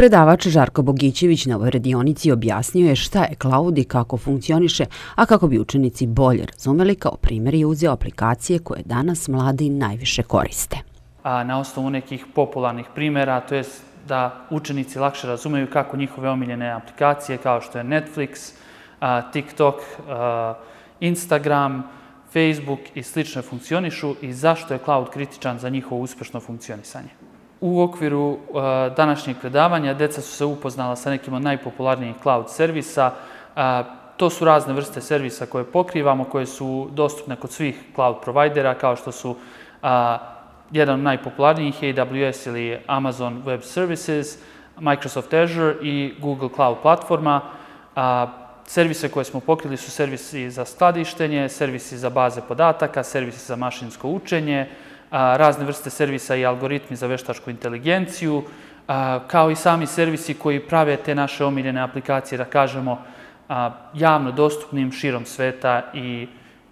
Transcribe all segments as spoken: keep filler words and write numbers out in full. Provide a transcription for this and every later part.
Predavač Žarko Bogićević na ovoj radionici objasnio je šta je cloud i kako funkcioniše, a kako bi učenici bolje razumeli, kao primjer je uzeo aplikacije koje danas mladi najviše koriste. A na osnovu nekih popularnih primjera, to je da učenici lakše razumeju kako njihove omiljene aplikacije kao što je Netflix, TikTok, Instagram, Facebook i slične funkcionišu i zašto je cloud kritičan za njihovo uspješno funkcionisanje. U okviru današnjeg predavanja deca su se upoznala sa nekim od najpopularnijih cloud servisa. To su razne vrste servisa koje pokrivamo, koje su dostupne kod svih cloud provajdera, kao što su jedan od najpopularnijih A W S ili Amazon Web Services, Microsoft Azure i Google Cloud platforma. Servise koje smo pokrili su servisi za skladištenje, servisi za baze podataka, servisi za mašinsko učenje, razne vrste servisa i algoritmi za veštačku inteligenciju, kao i sami servisi koji prave te naše omiljene aplikacije, da kažemo, javno dostupnim širom sveta i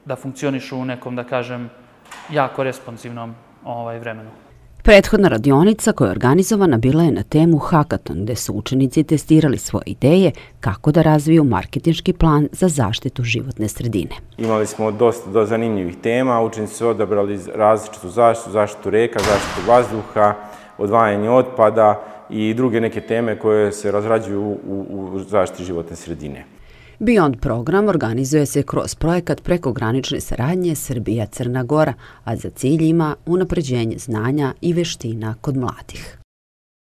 da funkcionišu u nekom, da kažem, jako responsivnom vremenu. Prethodna radionica koja je organizovana bila je na temu Hackathon, gde su učenici testirali svoje ideje kako da razviju marketinški plan za zaštitu životne sredine. Imali smo dosta zanimljivih tema, učenici su odabrali različitu zaštitu, zaštitu reka, zaštitu vazduha, odvajanje otpada i druge neke teme koje se razrađuju u zaštiti životne sredine. Beyond program organizuje se kroz projekat prekogranične saradnje Srbija-Crna Gora, a za cilj ima unapređenje znanja i veština kod mladih.